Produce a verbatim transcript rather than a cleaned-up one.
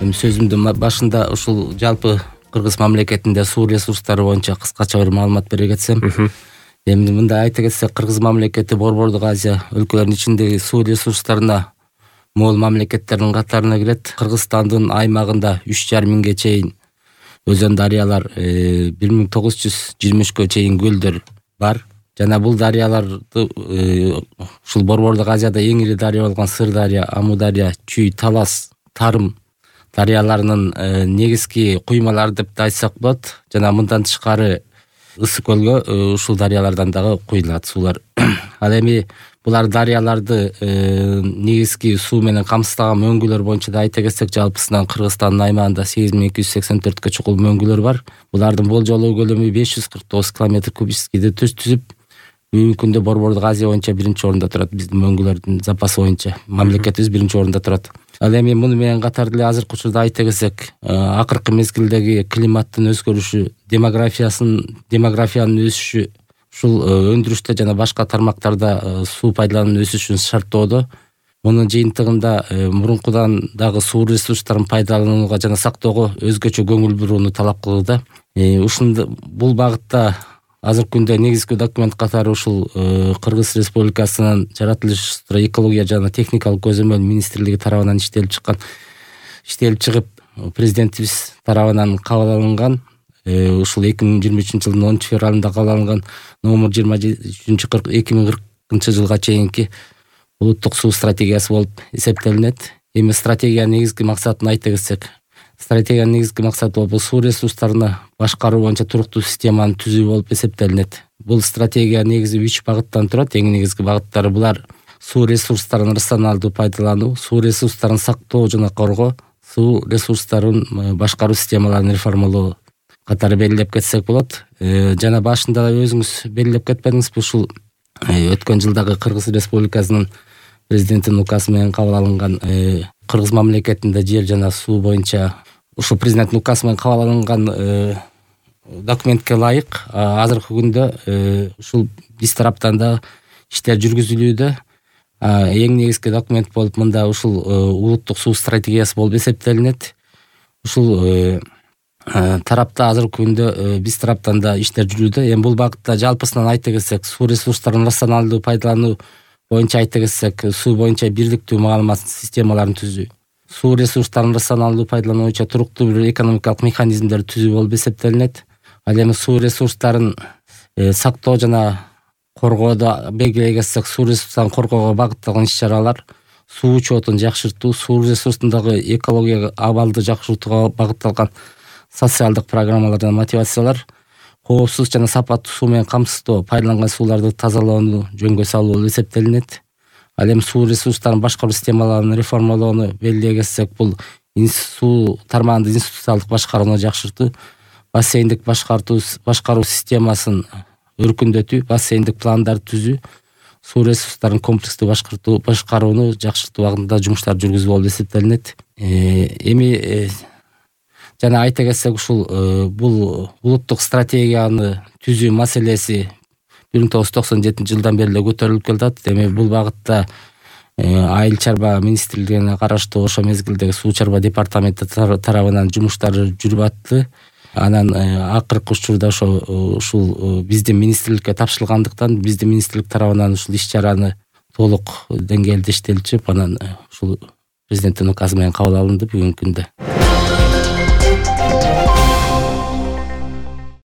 Эми сөзүмдүн башында ушул жалпы Кыргыз мамлекетинде суу ресурстары боюнча кыскача бир маалымат бере кетсем, эми мындай айта кетсек, Кыргыз мамлекети Борбордук Азия өлкөлөрүнүн ичиндеги суу ресурстарына мол мамлекеттердин катарына кирет. Кыргызстандын аймагында үч жарым миңге чейин өзөн дарыялар, бир миң тогуз жүз жыйырма үчкө чейин көлдөр бар. Жана бул дарыяларды ушул Борбордук Азияда эң ири дарыя болгон Сырдария, Амудария, Чүй, Талас, Тарым дарыяларынын негизги куймалары деп да айтсак болот. Жана мындан тышкары Ысык көлгө ушул дарыялардан дагы куйулат суулар. Ал эми булар дарыяларды негизги суу менен камсыздаган мөңгүлөр боюнча да айта кетсек, жалпысынан Кыргызстандын аймагында сегиз миң эки жүз сексен төрткө чукул мөңгүлөр бар. Булардын болжолуу көлөмү беш жүз кырк тогуз километр кубическийди түзүп, бүгүнкү күндө Борбордук Азия боюнча биринчи орунда турат. Биздин мөңгүлөрдүн запасы боюнча мамлекетибиз биринчи орунда турат. Ал эми муну менен катар деле азыркы учурда айта кетсек, акыркы мезгилдеги климаттын өзгөрүшү, демографиясын демографиянын өсүшү ушул өндүрүштө жана башка тармактарда суу пайдалануунун өсүшүн шарттоодо. Мунун жыйынтыгында мурункудан дагы суу ресурстарын пайдаланууга жана сактоого өзгөчө көңүл бурууну талап кылууда. Ушунда бул багытта азыркы күндө негизги документ катары ушул Кыргыз Республикасынын жаратылыштуу экология жана техникалык көзөмөл министрлиги тарабынан иштелип чыккан, иштелип чыгып, президентибиз тарабынан кабыл алынган, ушул эки миң жыйырма үчүнчү жылдын онунчу февралында кабыл алынган номер жыйырма үчүнчү эки миң кыркынчы жылга чейинки улуттук суу стратегиясы болуп эсептелинет. Эми стратегиянын негизги максатын айта кетсек, стратегиянын негизги максаты болуп суу ресурстарына башкаруу боюнча туруктуу системаны түзүү болуп эсептелинет. Бул стратегия негизи үч багыттан турат. Эң негизги багыттары булар: суу ресурстарын рационалдуу пайдалануу, суу ресурстарын сактоо жана коргоо, суу ресурстарын башкаруу системаларын реформалоо катары белгилеп кетсек болот. Жана башында өзүңүз белгилеп кетпедиңизби, ушул өткөн жылдагы Кыргыз Республикасынын президентинин указы менен кабыл алынган Кыргыз мамлекетинде жер жана суу боюнча ушул президенттин указы менен кабыл алынган документке ылайык азыркы күндө ушул биз тараптан да иштер жүргүзүлүүдө. Эң негизги документ болуп мында ушул улуттук суу стратегиясы болуп эсептелинет. Ушул тарапта азыркы күндө биз тараптан да иштер жүрүүдө. Эми бул багытта жалпысынан айта кетсек, суу ресурстарын рационалдуу пайдалануу боюнча айта кетсек, суу боюнча бирдиктүү маалымат системаларын түзүү, суу ресурстарын рационалдуу пайдалануу боюнча туруктуу бир экономикалык механизмдерди түзүү болуп эсептелинет. Ал эми суу ресурстарын сактоо жана коргоодо белгилей кетсек, суу ресурстарын коргоого багытталган иш-чаралар, суу учетун жакшыртуу, суу ресурсундагы экологиялык абалды жакшыртууга багытталган социалдык программалар жана мотивациялар, коопсуз жана сапаттуу суу менен камсыздоо, пайдаланган сууларды тазалоону жөнгө салуу болуп эсептелинет. Ал эми суу ресурстарын башкаруу системаларын реформалоону белгилей кетсек, бул суу тармагында институциялык башкарууну жакшыртуу, бассейндик башкартуу башкаруу системасын өркүндөтүү, бассейндик пландарды түзүү, суу ресурстарын комплекстүү башкартуу башкарууну жакшыртуу багытында жумуштар жүргүзүү болуп эсептелинет. Эми жана айта кетсек, ушул бул улуттук стратегияны түзүү маселеси бир миң тогуз жүз токсон жетинчи жылдан бери эле көтөрүлүп келатат. Эми бул багытта Айыл чарба министрлигине караштуу ошо мезгилдеги суу чарба департаменти тарабынан жумуштар жүрүп атты. Анан акыркы учурда ошо ушул биздин министрликке тапшырылгандыктан биздин министрлик тарабынан ушул иш-чараны толук деңгээлде иштелип чыгып, анан ушул президенттин указы менен кабыл алынды бүгүнкү күндө.